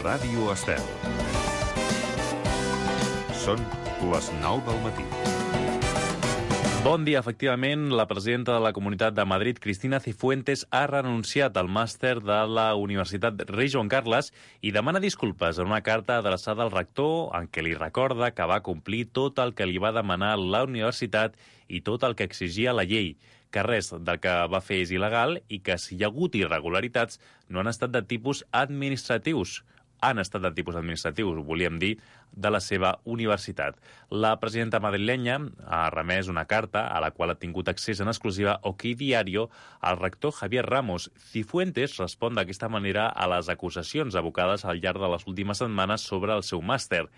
Ràdio Estel. Són les 9 del matí. Bon dia. Efectivament, la presidenta de la Comunitat de Madrid, Cristina Cifuentes, ha renunciat al màster de la Universitat Rei Joan Carles i demana disculpes en una carta adreçada al rector en què li recorda que va complir tot el que li va demanar la universitat i tot el que exigia la llei, que res del que va fer és il·legal i que si hi ha hagut irregularitats no han estat de tipus administratius. Han estat de tipus administratius, volíem dir, de la seva universitat. La presidenta madrilenya ha remès una carta a la qual ha tingut accés en exclusiva OK Diario al rector Javier Ramos. Cifuentes respon d'aquesta manera a les acusacions abocades al llarg de les últimes setmanes sobre el seu màster.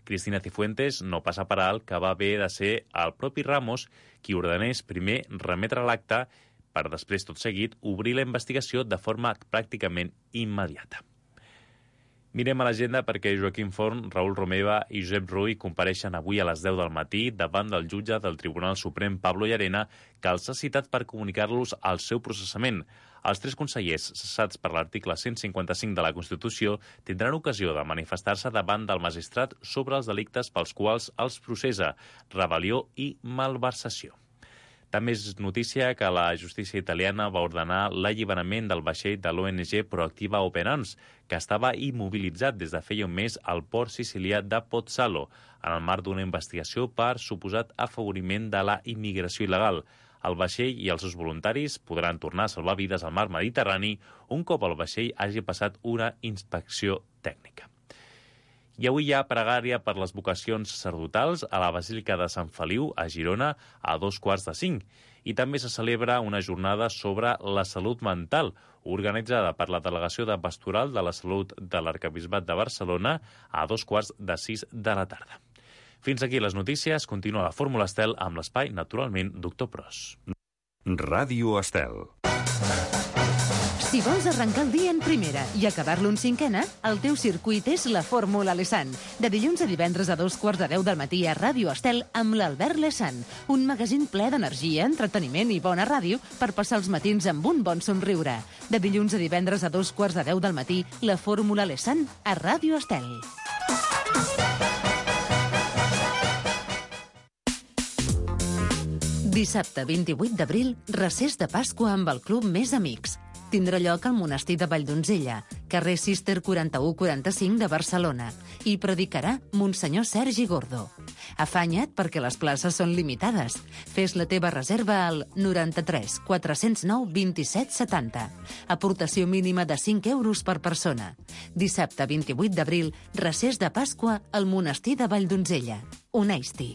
Cristina Cifuentes no passa per alt que va haver de ser el propi Ramos qui ordenés primer remetre l'acte per després, tot seguit, obrir la investigació de forma pràcticament immediata. Mirem a l'agenda perquè Joaquim Forn, Raül Romeva i Josep Rull compareixen avui a les 10 del matí davant del jutge del Tribunal Suprem, Pablo Llarena, que els ha citat per comunicar-los el seu processament. Els 3 consellers cessats per l'article 155 de la Constitució tindran ocasió de manifestar-se davant del magistrat sobre els delictes pels quals els processa, rebel·lió i malversació. També és notícia que la justícia italiana va ordenar l'alliberament del vaixell de l'ONG Proactiva Open Arms, que estava immobilitzat des de feia un mes al port sicilià de Pozzallo, en el marc d'una investigació per suposat afavoriment de la immigració il·legal. El vaixell i els seus voluntaris podran tornar a salvar vides al mar Mediterrani un cop el vaixell hagi passat una inspecció tècnica. I avui hi ha pregària per les vocacions sacerdotals a la Basílica de Sant Feliu, a Girona, a 4:45. I també se celebra una jornada sobre la salut mental, organitzada per la Delegació de Pastoral de la Salut de l'Arquebisbat de Barcelona a 5:45 de la tarda. Fins aquí les notícies. Continua la Fórmula Estel amb l'espai, naturalment, Doctor Pros. Ràdio Estel. Si vols arrencar el dia en primera i acabar-lo en cinquena, el teu circuit és la Fórmula Lesan. De dilluns a divendres a 9:45 del matí a Ràdio Estel amb l'Albert Lesan. Un magazín ple d'energia, entreteniment i bona ràdio per passar els matins amb un bon somriure. De dilluns a divendres a 9:45 del matí, la Fórmula Lesan a Ràdio Estel. Dissabte 28 d'abril, recés de Pasqua amb el Club Més Amics. Tindrà lloc al monestir de Valldonzella, carrer Cister 4145 de Barcelona, i predicarà Monsenyor Sergi Gordo. Afanya't perquè les places són limitades. Fes la teva reserva al 93 409 27 70. Aportació mínima de 5 euros per persona. Dissabte 28 d'abril, recés de Pasqua al monestir de Valldonzella. Uneix-t'hi.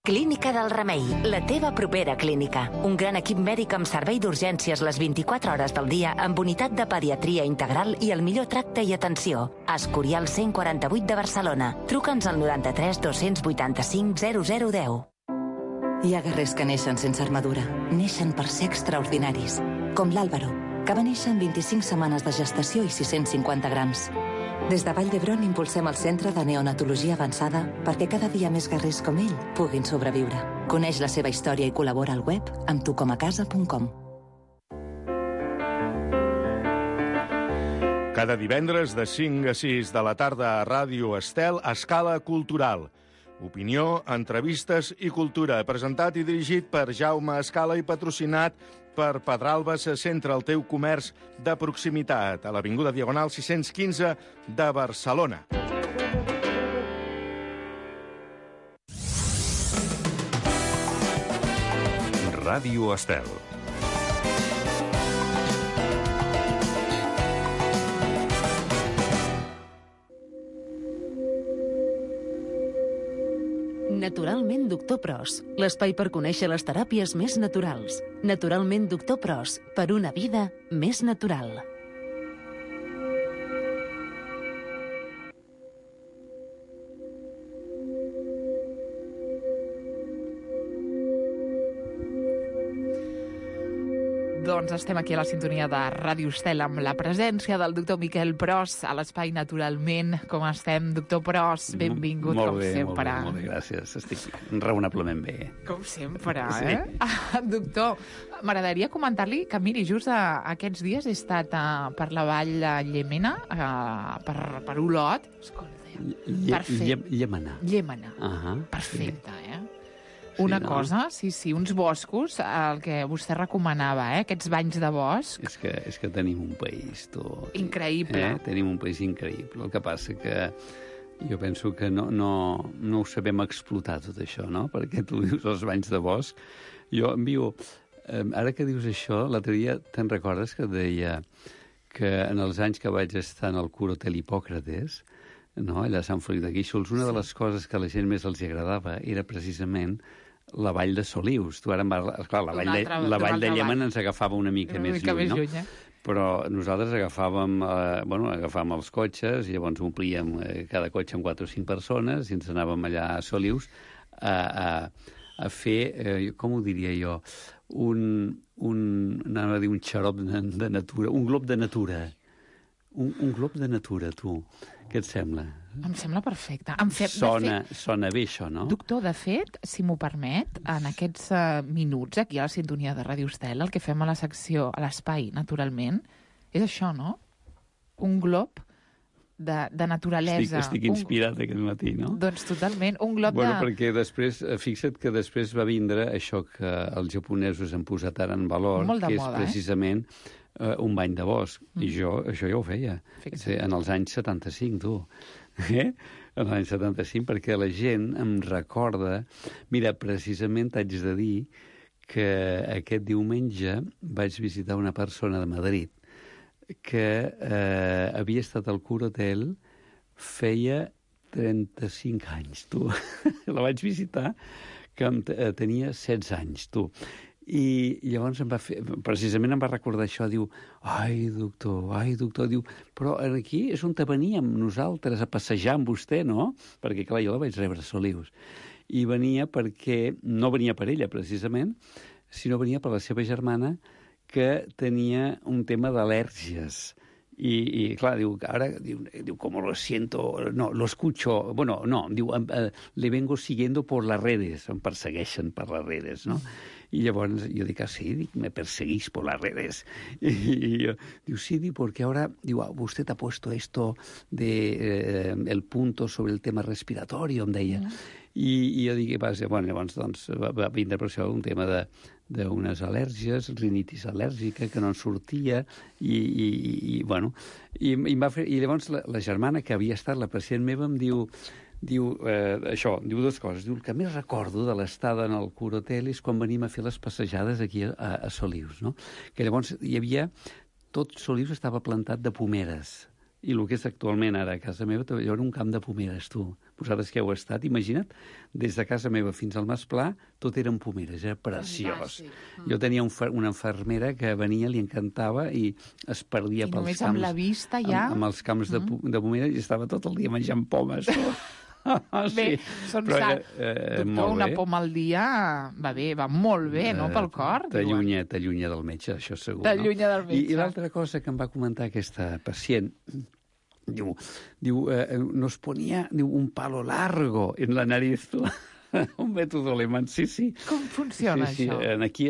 Clínica del Remei, la teva propera clínica. Un gran equip mèdic amb servei d'urgències les 24 hores del dia, amb unitat de pediatria integral i el millor tracte i atenció. Escorial 148 de Barcelona. Truca'ns al 93 285 0010. Hi ha guerrers que neixen sense armadura. Neixen per ser extraordinaris. Com l'Àlvaro, que va néixer amb 25 setmanes de gestació i 650 grams. Des de Vall d'Hebron impulsem el Centre de Neonatologia Avançada perquè cada dia més guerrers com ell puguin sobreviure. Coneix la seva història i col·labora al web amb tucomacasa.com. Cada divendres de 5 a 6 de la tarda a Ràdio Estel, Escala Cultural. Opinió, entrevistes i cultura. Presentat i dirigit per Jaume Escala i patrocinat per Pedralba se centra el teu comerç de proximitat a l'Avinguda Diagonal 615 de Barcelona. Ràdio Estel. Naturalment Doctor Pros, l'espai per conèixer les teràpies més naturals. Naturalment Doctor Pros, per una vida més natural. Doncs estem aquí a la sintonia de Ràdio Estel amb la presència del doctor Miquel Pros a l'Espai Naturalment. Com estem, doctor Pros? Benvingut, com sempre. Molt bé, gràcies. Estic raonablement bé. Com sempre, eh? Sí. Doctor, m'agradaria comentar-li que, miri, just aquests dies he estat per la vall de Llémena, per Olot. Escolta, Llémena. Perfecte, eh? Una cosa, sí, uns boscos, el que vostè recomanava, aquests banys de bosc. És que tenim un país, tu. Increïble. Tenim un país increïble. El que passa que jo penso que no ho sabem explotar, tot això, no? Perquè tu dius els banys de bosc. Jo envio... Ara que dius això, l'altre dia te'n recordes que et deia que en els anys que vaig estar en el Curt Hotel Hipòcrates, no, allà a Sant Feliu de Guíxols, una de les coses que a la gent més els agradava era precisament la vall de Solius. Tu ara clar, la vall de Llémena ens agafava una mica més lluny, no? Però nosaltres agafàvem els cotxes i llavors omplíem cada cotxe amb 4 o 5 persones i ens anàvem allà a Solius a fer, com ho diria jo, anava a dir un xarop de natura, un glob de natura. Un glob de natura, tu. Què et sembla? Em sembla perfecte. Sona bé, això, no? Doctor, de fet, si m'ho permet, en aquests minuts aquí a la sintonia de Ràdio Estel, el que fem a la secció, a l'espai, naturalment, és això, no? Un glob de naturalesa. Estic inspirat aquest matí, no? Doncs totalment, un glob perquè després, fixa't que després va vindre això que els japonesos han posat ara en valor, que és precisament un bany de bosc. I això ja ho feia. En els anys 75, tu. En l'any 75, perquè la gent em recorda... Mira, precisament t'haig de dir que aquest diumenge vaig visitar una persona de Madrid que havia estat al Curt Hotel feia 35 anys, tu. La vaig visitar, que tenia 16 anys, tu. I llavors precisament em va recordar això, diu, ai, doctor, diu, però aquí és on veníem nosaltres a passejar amb vostè, no? Perquè, clar, jo la vaig rebre a Solius. I venia perquè, no venia per ella, precisament, sinó venia per la seva germana, que tenia un tema d'al·lèrgies. I clar, diu, como lo siento, no, lo escucho, bueno, no, diu, le vengo siguiendo por las redes, em persegueixen per les redes, no? I llavors jo dic, sí, me perseguís por las redes. Y yo, diu, sí, porque ahora, diu, usted ha puesto esto de el punto sobre el tema respiratorio, em deia. I jo dic, bueno, llavors doncs, va vindre per això un tema d'unes al·lèrgies, rinitis al·lèrgica, que no en sortia, i llavors la germana, que havia estat la pacient meva, em diu dues coses. Diu, el que més recordo de l'estada en el Curt Hotel és quan venim a fer les passejades aquí a Solius, no? Que llavors hi havia... Tot Solius estava plantat de pomeres. I el que és actualment ara a casa meva, hi ha un camp de pomeres, tu. Vosaltres que heu estat, imagina't, des de casa meva fins al Mas Pla, tot eren pomeres, era preciós. Jo tenia una infermera que venia, li encantava, i es perdia pels camps. I només amb la vista ja... Amb els camps de pomeres, i estava tot el dia menjant pomes. Bé, són sants. Doctor, una poma al dia va bé, va molt bé, no?, pel cor. T'allunya del metge, això segur. T'allunya del metge. I l'altra cosa que em va comentar aquesta pacient, diu, nos ponía un palo largo en la nariz. Un mètode alemany, sí. Com funciona això? Aquí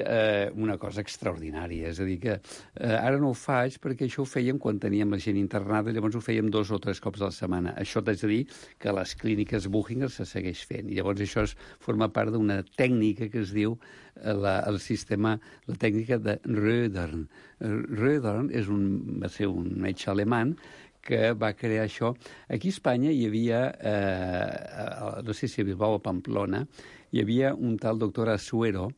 una cosa extraordinària, és a dir que ara no ho faig perquè això ho fèiem quan teníem la gent internada, llavors ho fèiem 2 o 3 cops a la setmana. Això t'haig de dir que a les clíniques Buchinger se segueix fent, i llavors això forma part d'una tècnica que es diu la tècnica de Rödern. Rödern va ser un metge alemany que va crear això. Aquí a Espanya hi havia, no sé si a Bilbao o Pamplona, hi havia un tal doctor Asuero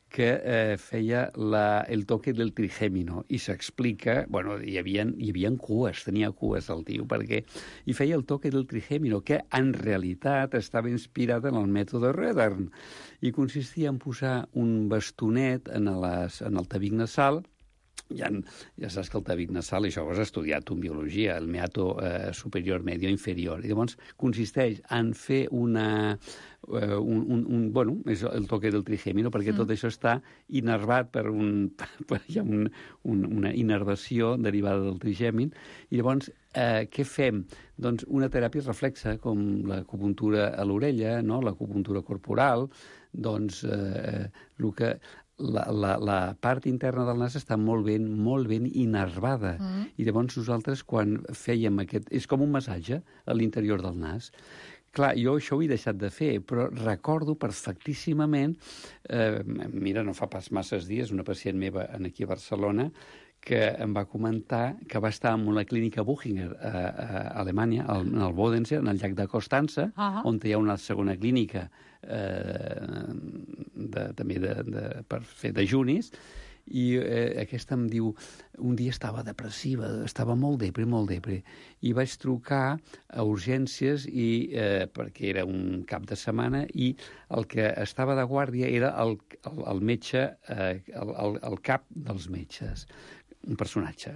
que feia el toque del trigèmino, i s'explica, bueno, hi havia cues, tenia cues el tio, perquè hi feia el toque del trigèmino, que en realitat estava inspirat en el mètode Rödern, i consistia en posar un bastonet en el tabic nasal, ja saps que el tabic nasal, això ho has estudiat en biologia, el meato superior, medio, inferior. I llavors consisteix en fer és el toque del trigèmino, perquè tot això està innervat hi ha una innervació derivada del trigèmin, i llavors què fem? Doncs una teràpia reflexa, com l'acupuntura a l'orella, no? L'acupuntura corporal, doncs la part interna del nas està molt ben innervada. I llavors nosaltres, quan fèiem aquest... És com un massatge a l'interior del nas. Clar, jo això ho he deixat de fer, però recordo perfectíssimament, mira, no fa pas masses dies, una pacient meva aquí a Barcelona, que em va comentar que va estar en una clínica Buchinger a Alemanya, en el Bodensee, en el llac de Constança, on hi ha una segona clínica també per fer dejunis, i aquesta em diu, un dia estava depressiva, estava molt depre, i vaig trucar a urgències perquè era un cap de setmana, i el que estava de guàrdia era el metge, el cap dels metges. Un personatge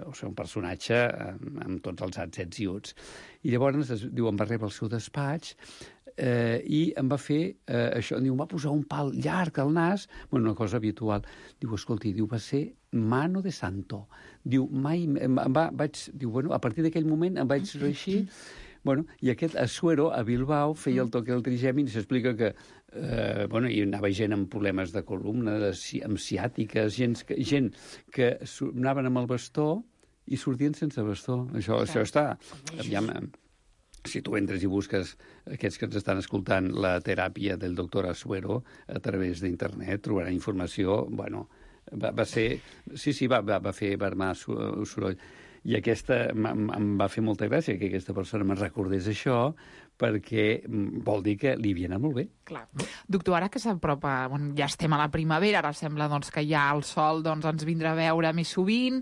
amb tots els ats, ets i uts. I llavors, diu, em va rebre al seu despatx i em va fer això, diu, em va posar un pal llarg al nas, una cosa habitual. Diu, escolti, va ser mano de santo. Diu, a partir d'aquell moment em vaig reeixir. I aquest Asuero, a Bilbao, feia el toque del trigèmin i s'explica que hi anava gent amb problemes de columna, amb ciàtiques, gent que anaven amb el bastó i sortien sense bastó. Això està... Si tu entres i busques aquests que ens estan escoltant la teràpia del doctor Asuero a través d'internet, trobarà informació, va ser... Sí, va fer vermar soroll. I aquesta em va fer molta gràcia que aquesta persona me'n recordés això, perquè vol dir que li havia anat molt bé. Clar. Doctor, ara que s'apropa, ja estem a la primavera, ara sembla que ja el sol ens vindrà a veure més sovint,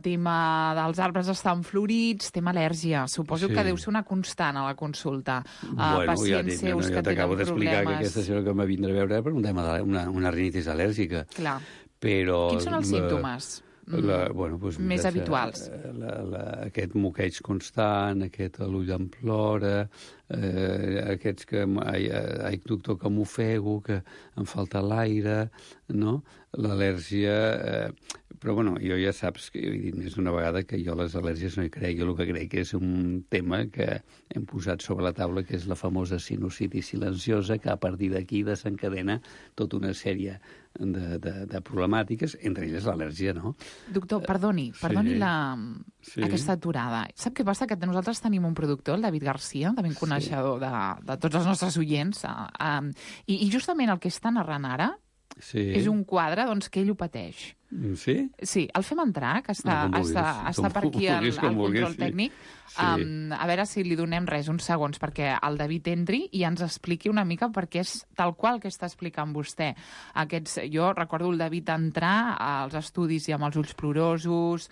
tema dels arbres estan florits, tema al·lèrgia. Suposo que deu ser una constant a la consulta. Pacients seus que tenen problemes... T'acabo d'explicar que aquesta senyora que em va vindre a veure per un tema una rinitis al·lèrgica. Clar. Però... Quins són els símptomes? Més habituals. Aquest moqueig constant, aquest l'ull em plora, aquests que, ai, doctor, que m'ofego, que em falta l'aire, no? L'al·lèrgia... Però, jo ja saps que he dit més d'una vegada que jo les al·lèrgies no hi crec. Jo el que crec és un tema que hem posat sobre la taula, que és la famosa sinusitis silenciosa, que a partir d'aquí desencadena tota una sèrie de problemàtiques, entre elles l'al·lèrgia, no? Doctor, perdoni aquesta aturada. Sap què passa? Que nosaltres tenim un productor, el David Garcia, també un coneixedor de tots els nostres oients, i justament el que està narrant ara és un quadre que ell ho pateix. Sí? Sí, el fem entrar, que està per aquí al control tècnic. A veure si li donem uns segons perquè el David entri i ens expliqui una mica, perquè és tal qual que està explicant vostè. Jo recordo el David entrar als estudis i amb els ulls plorosos,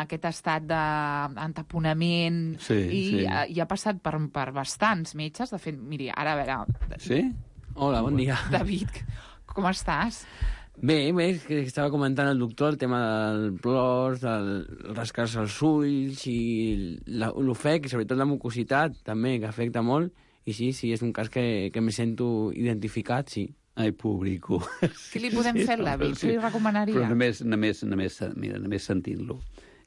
aquest estat d'entaponament, i ha passat per bastants metges. De fet, miri, ara a veure... Sí? Hola, bon dia. David, com estàs? Bé, que estava comentant el doctor el tema del plors, el rascar-se els ulls i l'ofec, i sobretot la mucositat també, que afecta molt, i sí, és un cas que me sento identificat, sí. Ai, pobrico. Què li podem fer, David? Què li recomanaria? Però només sentint-lo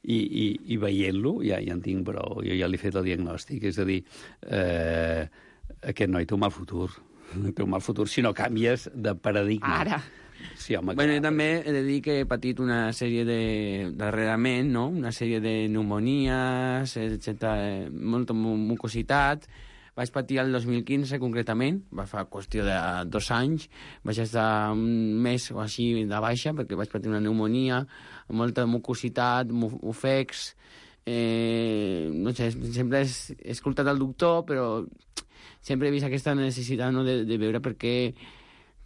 i veient-lo ja en tinc prou. Jo ja li he fet el diagnòstic, és a dir, aquest noi té un mal futur. Té un mal futur si no canvies de paradigma. Ara. Sí, home, jo també he de dir que he patit una sèrie darrerament, no? Una sèrie de pneumonies, molta mucositat. Vaig patir el 2015, concretament, va fa qüestió de 2 anys. Vaig estar un mes o així de baixa, perquè vaig patir una pneumonia, molta mucositat, ofecs... No sé, sempre he escoltat el doctor, però sempre he vist aquesta necessitat, no, de veure per què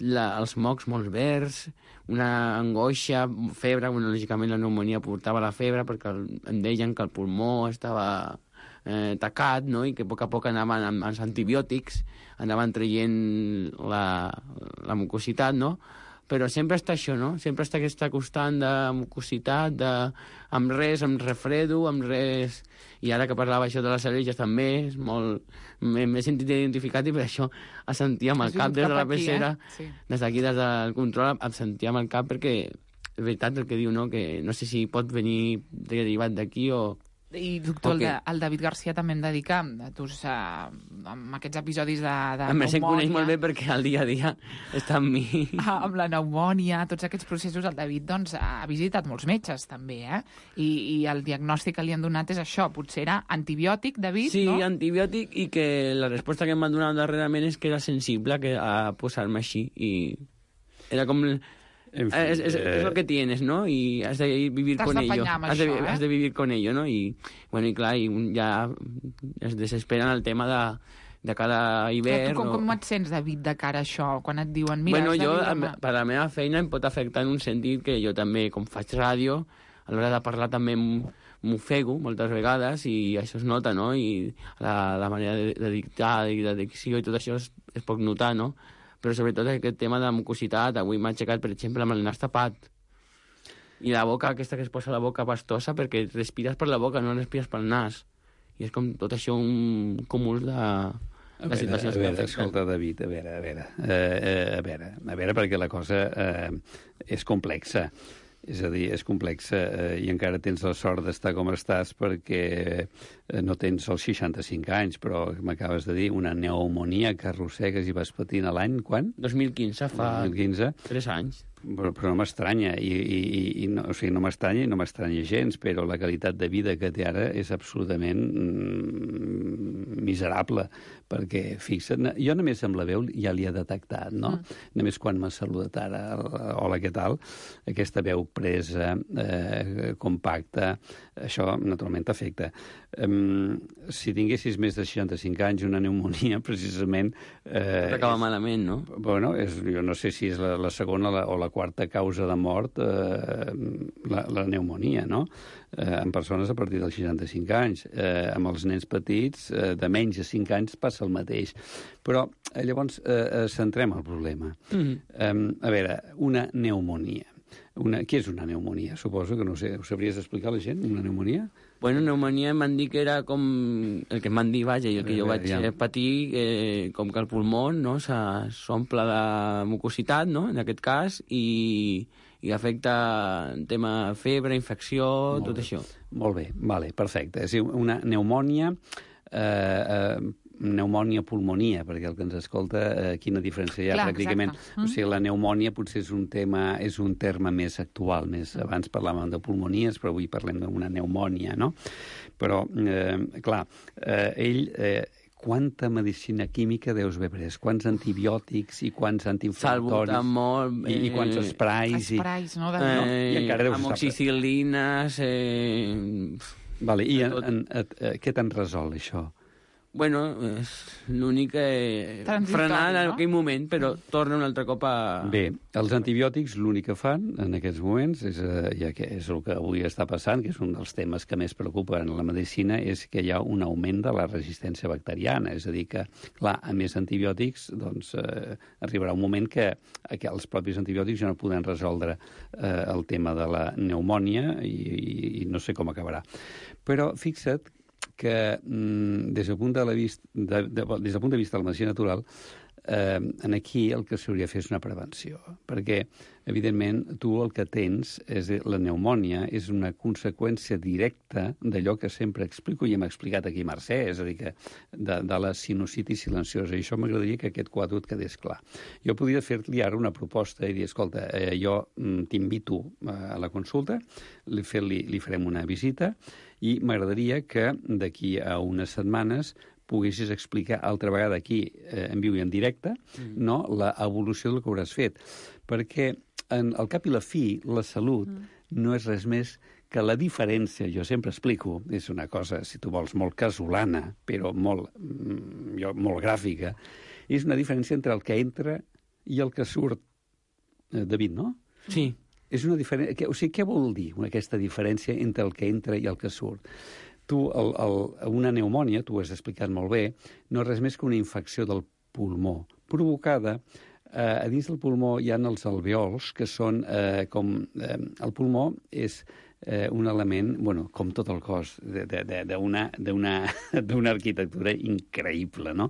els mocs molt verds, una angoixa, febre. Lògicament la pneumonia portava la febre perquè em deien que el pulmó estava tacat, no? I que a poc anaven amb els antibiòtics, anaven traient la mucositat, no? però sempre està això, no? Sempre està aquesta constant de mucositat, amb res, amb refredo, amb res... I ara que parlava això de les al·lèrgies també, és molt... M'he sentit identificat i per això em sentia amb el cap des de la pecera, des d'aquí, des del control, em sentia amb el cap perquè és veritat el que diu, no? Que no sé si pot venir derivat d'aquí o... I, doctor, el David Garcia també em dedica amb aquests episodis de pneumònia. A més, em coneix molt bé perquè al dia a dia està amb mi. Amb la pneumònia, tots aquests processos, el David doncs, ha visitat molts metges, també, eh? I el diagnòstic que li han donat és això, potser era antibiòtic, David, sí, no? Sí, antibiòtic, i que la resposta que em van donar darrerament és que era sensible a posar-me així, i era com... En fi, es lo que tienes, ¿no? Y has de vivir con ello. Has de vivir con ello, ¿no? Y, bueno, i clar, ja es desesperen el tema de cada hivern. Com et sents, David, de cara a això, quan et diuen... Mira, bueno, jo, per la meva feina, em pot afectar en un sentit que jo també, com faig ràdio, a l'hora de parlar també m'ofego moltes vegades, i això es nota, no? I la manera de dictar i de dicció i tot això es pot notar, no? Però sobretot aquest tema de mucositat, avui m'ha aixecat, per exemple, amb el nas tapat. I la boca, aquesta que es posa a la boca pastosa, perquè respires per la boca, no respires pel nas. I és com tot això un cúmul de situacions que afecten. Escolta, David, a veure, perquè la cosa és complexa. És a dir, és complexa i encara tens la sort d'estar com estàs perquè no tens els 65 anys, però m'acabes de dir una pneumonia que arrossegues i vas patint a l'any, quan? 2015, fa 3 anys. Però no m'estranya, o sigui, no m'estranya i no m'estranya gens, però la qualitat de vida que té ara és absolutament miserable, perquè, fixa't, jo només amb la veu ja li he detectat, no? Només quan m'ha saludat ara, hola, què tal? Aquesta veu presa, compacta, això naturalment t'afecta. Si tinguessis més de 65 anys, una pneumonia, precisament... T'acaba malament, no? Bueno, jo no sé si és la segona o la quarta causa de mort, la pneumonia, no? En persones a partir dels 65 anys. Amb els nens petits, de menys de 5 anys, passa el mateix. Però llavors centrem el problema. A veure, una pneumonia. Què és una pneumonia? Suposo que no sé. Ho sabries explicar a la gent, una pneumonia? Bueno, pneumonia em van dir que era com el que em van dir, vaja, i el que jo vaig patir, com que el pulmó, no, s'omple de mucositat, no, en aquest cas, i afecta el tema febre, infecció, tot això. Molt bé, vale, perfecte. És una pneumònia... pneumònia-pulmonia, perquè el que ens escolta, quina diferència hi ha pràcticament. O sigui, la pneumònia potser és un terme més actual, abans parlàvem de pulmonies, però avui parlem d'una pneumònia, no? Però, clar, quanta medicina química deus haver pres? Quants antibiòtics i quants antiinflamatoris? Salbutamol... I quants esprais? Esprais, no? Amoxicil·lines... Vale, i què te'n resol, això? Bueno, és l'únic frenar en aquell moment, però torna un altre cop a... Bé, els antibiòtics l'únic que fan en aquests moments, ja que és el que avui està passant, que és un dels temes que més preocupa en la medicina, és que hi ha un augment de la resistència bacteriana. És a dir que, clar, a més antibiòtics, doncs arribarà un moment que els propis antibiòtics ja no podran resoldre el tema de la pneumònia i no sé com acabarà. Però fixa't que des del punt de vista de la medicina natural, aquí el que s'hauria de fer és una prevenció, perquè, evidentment, tu el que tens és la pneumònia, és una conseqüència directa d'allò que sempre explico i hem explicat aquí Mercè, és a dir, que de la sinusitis silenciosa, i això m'agradaria que aquest quadre et quedés clar. Jo podria fer-li ara una proposta i dir, escolta, jo t'invito a la consulta, li farem una visita, i m'agradaria que d'aquí a unes setmanes poguessis explicar altra vegada aquí, en viu i en directe, no, l'evolució del que hauràs fet. Perquè, al cap i la fi, la salut no és res més que la diferència, jo sempre explico, és una cosa, si tu vols, molt casolana, però molt gràfica, és una diferència entre el que entra i el que surt. David, no? Sí. És una diferència... O sigui, què vol dir aquesta diferència entre el que entra i el que surt? Tu, una pneumònia, tu ho has explicat molt bé, no és res més que una infecció del pulmó, provocada a dins del pulmó hi ha els alveols, que són com... el pulmó és un element, bueno, com tot el cos, d'una arquitectura increïble, no?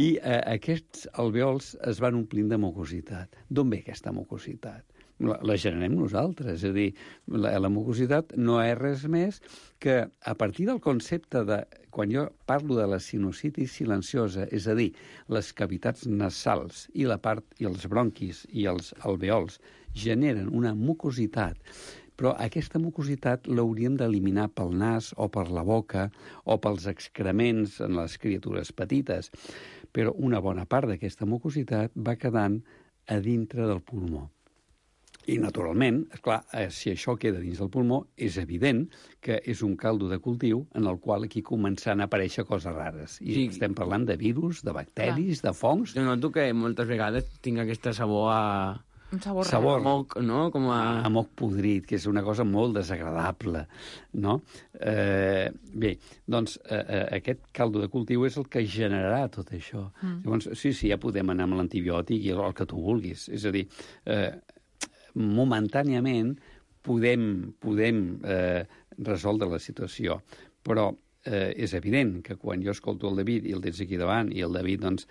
I aquests alveols es van omplint de mucositat. D'on ve aquesta mucositat? La generem nosaltres, és a dir, la mucositat no és res més que a partir del concepte de, quan jo parlo de la sinusitis silenciosa, és a dir, les cavitats nasals i la part i els bronquis i els alveols generen una mucositat, però aquesta mucositat l'hauríem d'eliminar pel nas o per la boca o pels excrements en les criatures petites, però una bona part d'aquesta mucositat va quedant a dintre del pulmó. I, naturalment, esclar, si això queda dins del pulmó, és evident que és un caldo de cultiu en el qual aquí començan a aparèixer coses rares. I sí, estem parlant de virus, de bacteris, de fongs... Jo noto que moltes vegades tinc aquesta sabor a... Un sabor moc, no? Com a moc podrit, que és una cosa molt desagradable, no? Bé, doncs aquest caldo de cultiu és el que generarà tot això. Llavors, sí, ja podem anar amb l'antibiòtic i el que tu vulguis. És a dir, momentàniament podem resoldre la situació, però és evident que quan jo escolto el David i el tens aquí davant i el David, doncs,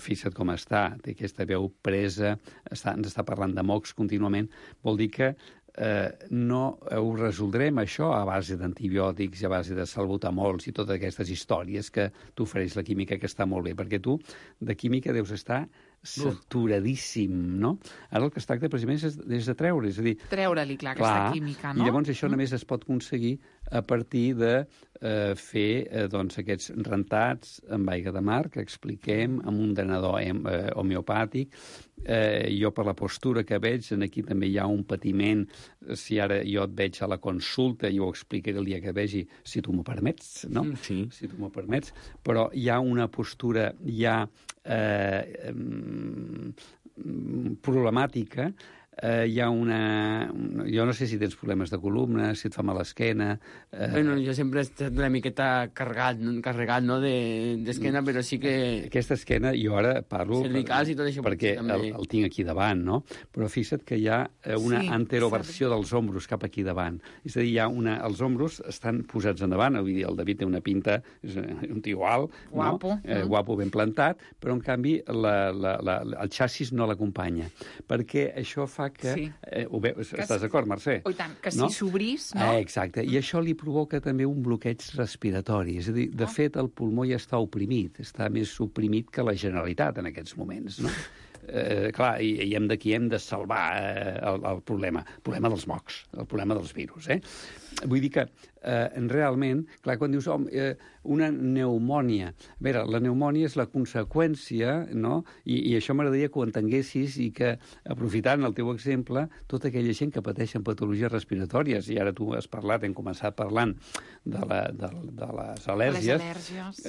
fixa't com està, té aquesta veu presa, ens està parlant de mocs contínuament, vol dir que no ho resoldrem això a base d'antibiòtics i a base de salbutamols i totes aquestes històries que t'ofereix la química, que està molt bé, perquè tu de química deus estar saturadíssim, no? Ara el que es tracta precisament és de treure, és a dir... Treure-li, clar, aquesta química, no? I llavors això només es pot aconseguir a partir de fer doncs, aquests rentats amb aigua de mar, que expliquem, amb un drenador homeopàtic. Jo, per la postura que veig, aquí també hi ha un patiment. Si ara jo et veig a la consulta, jo ho explicaré el dia que vegi, si tu m'ho permets, no? Sí. Si tu m'ho permets. Però hi ha una postura ja problemàtica. Hi ha una... Jo no sé si tens problemes de columna, si et fa mal l'esquena... Bueno, jo sempre he estat una miqueta carregat, no?, d'esquena, però sí que... Aquesta esquena, jo ara parlo... Cervicals i tot això. Perquè el tinc aquí davant, no? Però fixa't que hi ha una anteroversió dels ombros cap aquí davant. És a dir, els ombros estan posats endavant, vull dir, el David té una pinta, és un tio alt, guapo, no? Guapo, ben plantat, però en canvi el xassis no l'acompanya. Perquè això fa que... Sí. Estàs d'acord, Mercè? Oh, i tant, que si s'obrís, no? Exacte, i això li provoca també un bloqueig respiratori. És a dir, de fet, el pulmó ja està oprimit, està més oprimit que la Generalitat en aquests moments, no? Clar, i d'aquí hem de salvar el problema dels mocs, el problema dels virus, Vull dir que realment, clar, quan dius una pneumònia, a veure, la pneumònia és la conseqüència, no? I això m'agradaria que ho entenguessis i que, aprofitant el teu exemple, tota aquella gent que pateixen patologies respiratòries, i ara tu has parlat, hem començat parlant de les al·lèrgies. Les al·lèrgies.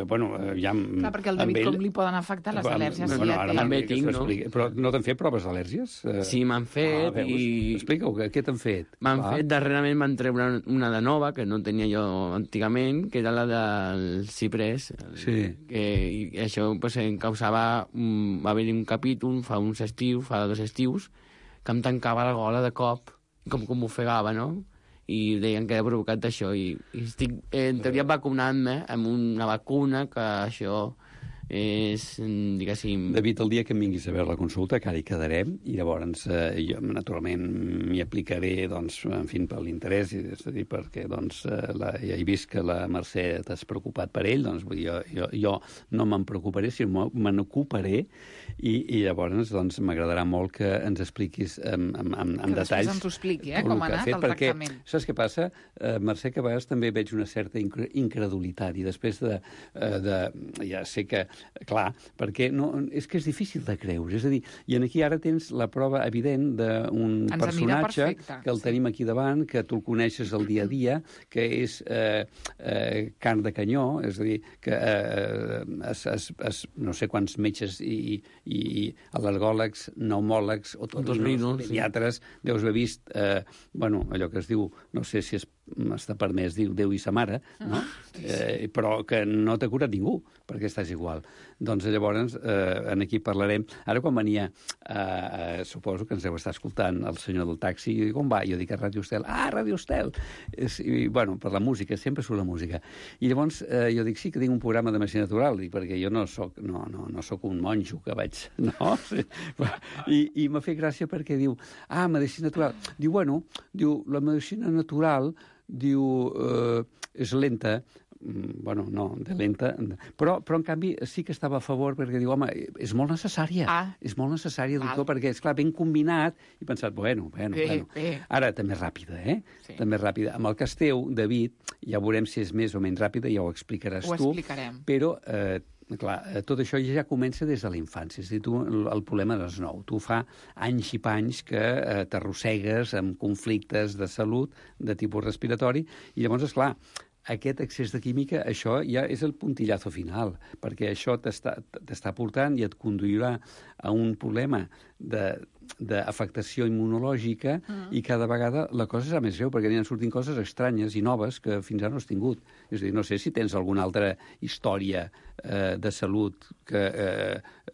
Bueno, ja... Clar, perquè el David com li poden afectar les al·lèrgies? Bueno, ara també tinc, no? Però no t'han fet proves d'al·lèrgies? Sí, m'han fet i... Explica-ho, què t'han fet? M'han fet, darrerament m'han treure una de nova, que no tenia jo antigament, que era la del ciprés. Sí. I això pues, em causava... Va haver-hi un capítol fa 2 estius, que em tancava la gola de cop, com m'ofegava, no? I deien que era provocat d'això. I estic, en teoria, vacunant-me amb una vacuna que això... és, diguéssim... David, el dia que em vinguis a veure la consulta, que ara hi quedarem, i llavors jo naturalment m'hi aplicaré, doncs, en fi, per l'interès, és a dir, perquè doncs, ja he vist que la Mercè t'has preocupat per ell, doncs jo no me'n preocuparé, sinó me n'ocuparé, i llavors doncs, m'agradarà molt que ens expliquis amb detalls... Que després ens ho expliqui, com ha anat el tractament. Saps què passa, Mercè, que a vegades també veig una certa incredulitat, i després ja sé que clar, perquè és que és difícil de creure. És a dir, i aquí ara tens la prova evident d'un personatge que el tenim aquí davant, que tu el coneixes el dia a dia, que és carn de canyó, és a dir, que no sé quants metges i al·lergòlegs, pneumòlegs, otorrinos, pediatres, deus haver vist, allò que es diu, no sé si és està permès dir Déu i sa mare, no? Però que no t'ha curat ningú, perquè estàs igual. Doncs llavors, aquí parlarem... Ara, quan venia, suposo que ens deu estar escoltant el senyor del taxi, i dic, on va? Jo dic a Ràdio Estel. Ah, Ràdio Estel! I, bueno, per la música, sempre surt la música. I llavors jo dic, sí, que tinc un programa de medicina natural, dic, perquè jo no soc un monjo que vaig... No? I m'ha fet gràcia perquè diu, medicina natural. Diu, bueno, la medicina natural, és lenta, bueno, no, de lenta, però en canvi sí que estava a favor perquè diu, home, és molt necessària, és molt necessària, doctor, perquè, esclar, ben combinat, i he pensat, bueno. Ara, també ràpida, Sí. També ràpida. Amb el cas teu, David, ja veurem si és més o menys ràpida, ja ho explicaràs tu. Ho explicarem. Però, clar, tot això ja comença des de la infància. És a dir, tu, el problema no és nou. Tu fa anys i panys que t'arrossegues amb conflictes de salut de tipus respiratori, i llavors, esclar, aquest excés de química, això ja és el puntillazo final, perquè això t'està portant i et conduirà a un problema d'afectació immunològica i cada vegada la cosa serà més greu, perquè aniran sortint coses estranyes i noves que fins ara no has tingut. És a dir, no sé si tens alguna altra història de salut que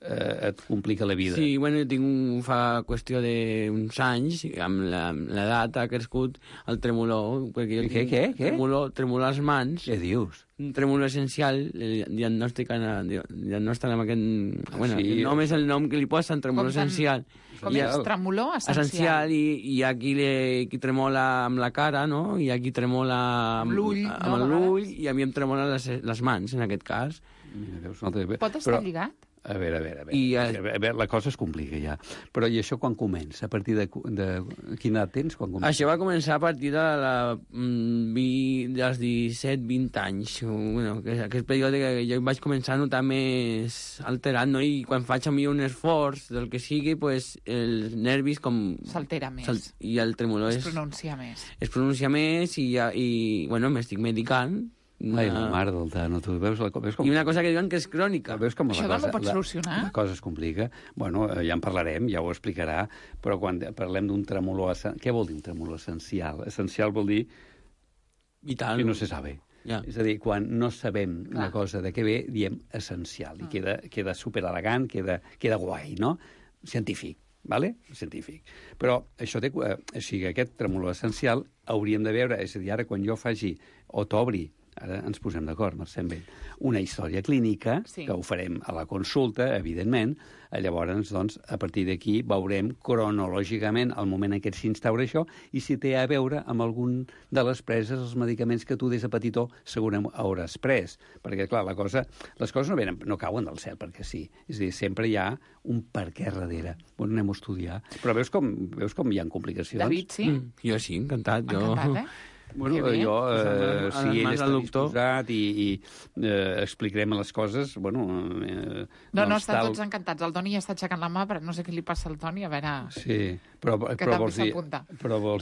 et complica la vida. Sí, bueno, jo tinc fa qüestió d'uns anys, amb l'edat ha crescut el tremolor. Què? Tremolor als mans. Què dius? Un tremolor essencial, diagnòstic amb aquest... Bueno, el nom és el nom que li posen, tremolor essencial. Com és? Tremolor essencial. I aquí tremola amb la cara, no? I aquí tremola amb l'ull, i a mi em tremolen les mans, en aquest cas. Mira, veus, pot estar lligat? A veure, la cosa es complica ja. Però i això quan comença? A partir de quina edat tens? Això va començar a partir dels 17-20 anys. Bueno, aquest període que jo vaig començar a notar més alterat, no? I quan faig a mi un esforç del que sigui, pues, els nervis com... S'altera més. I el tremolor es pronuncia més. Es pronuncia més i bueno, m'estic medicant. Ai, la mare del Tano, tu veus com... I una cosa que diuen que és crònica. Veus com això no ho pots solucionar? La cosa es complica. Bueno, ja en parlarem, ja ho explicarà, però quan parlem d'un tremolor... Què vol dir un tremolor essencial? Essencial vol dir... Vital. Que no se sabe. Ja. És a dir, quan no sabem una cosa de què ve, diem essencial. I queda superelegant, queda guai, no? Científic. Vale? Científic. Però això aquest tremolor essencial hauríem de veure, és a dir, ara quan jo faci o t'obri, ara ens posem d'acord, Mercè, amb ell, una història clínica, que ho farem a la consulta, evidentment, llavors, doncs, a partir d'aquí veurem cronològicament el moment en què s'instaura això i si té a veure amb algun de les preses, els medicaments que tu des de petitó segurament hauràs pres. Perquè, clar, les coses no cauen del cel perquè sí. És a dir, sempre hi ha un per què darrere. Bueno, anem a estudiar. Però veus com hi ha complicacions? David, sí? Jo sí, encantat. Encantat, Bueno, jo, si ell està disposat i explicarem les coses, bueno... No, estan tots encantats. El Toni ja està aixecant la mà, però no sé què li passa al Toni, a veure... Sí, però vols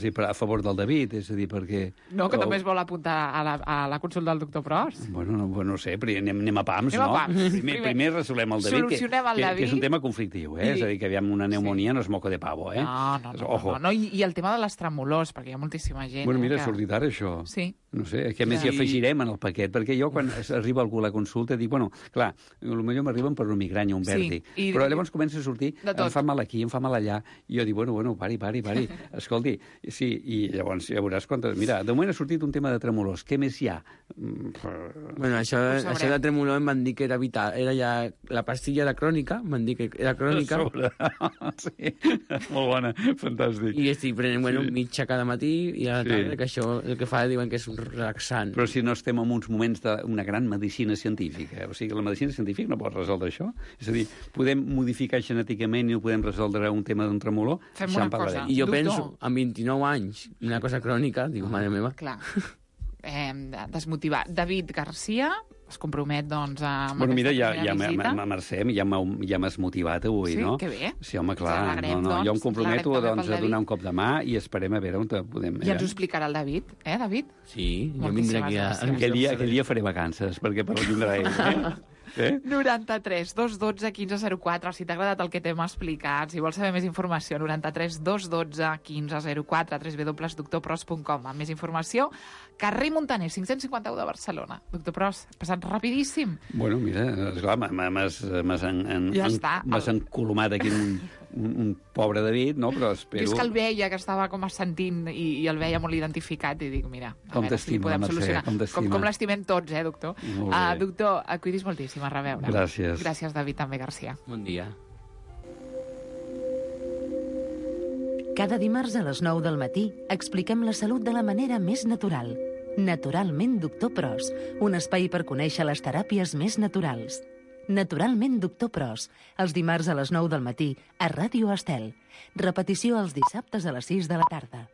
dir a favor del David, és a dir, perquè... No, que també es vol apuntar a la consulta del doctor Pros. Bueno, no sé, però anem a pams, no? Primer resolem el David, que és un tema conflictiu, és a dir, que aviam una pneumonia no és moco de pavo, eh? No, i el tema de les tremolors, perquè hi ha moltíssima gent... Bueno, mira, ha sortit ara això. Sí. No sé, que a més hi afegirem en el paquet, perquè jo quan arriba algú a la consulta dic, bueno, clar, potser m'arriben per una migranya, un vèrtic, però llavors comença a sortir, em fa mal aquí, em fa mal allà, i jo dic, bueno, pari, escolti, sí, i llavors ja veuràs quantes... Mira, de moment ha sortit un tema de tremolors, què més hi ha? Bueno, això de tremolor em van dir que era vital, era ja la pastilla era crònica, m'han dit que era crònica. Sí, molt bona, fantàstic. I estic prenent, bueno, mitja cada matí i a la tarda, que això el que fa diuen que és un relaxant. Però si no estem en uns moments d'una gran medicina científica, o sigui, la medicina científica no pot resoldre això. És a dir, podem modificar genèticament i no podem resoldre un tema d'un tremolor. Fem una cosa. I jo penso, amb 29 anys, una cosa crònica, dic, mare meva. Clar. Desmotivar. David Garcia es compromet, doncs, amb aquesta primera visita. Mercè, ja m'has motivat avui, no? Sí, que bé. Sí, home, clar. Jo em comprometo a donar un cop de mà i esperem a veure on podem... I ens ho explicarà el David, David? Sí, jo vindré aquí Aquell dia faré vacances, perquè per vindrà ell, 93 212 1504, si t'ha agradat el que t'hem explicat, si vols saber més informació, 93 212 1504, www.doctorpros.com. Amb més informació, carrer Montaner, 551 de Barcelona. Doctor Pros, ha passat rapidíssim. Bueno, mira, esclar, m'has encolomat aquí un pobre David, no? Però espero... Jo és que el veia, que estava com assentint i el veia molt identificat i dic, mira, a veure si podem solucionar. Com l'estimem tots, doctor? Doctor, cuidis moltíssim, a reveure. Gràcies. Gràcies, David, també, Garcia. Bon dia. Cada dimarts a les 9 del matí expliquem la salut de la manera més natural. Naturalment, Doctor Pros, un espai per conèixer les teràpies més naturals. Naturalment, Doctor Pros, els dimarts a les 9 del matí a Ràdio Estel. Repetició els dissabtes a les 6 de la tarda.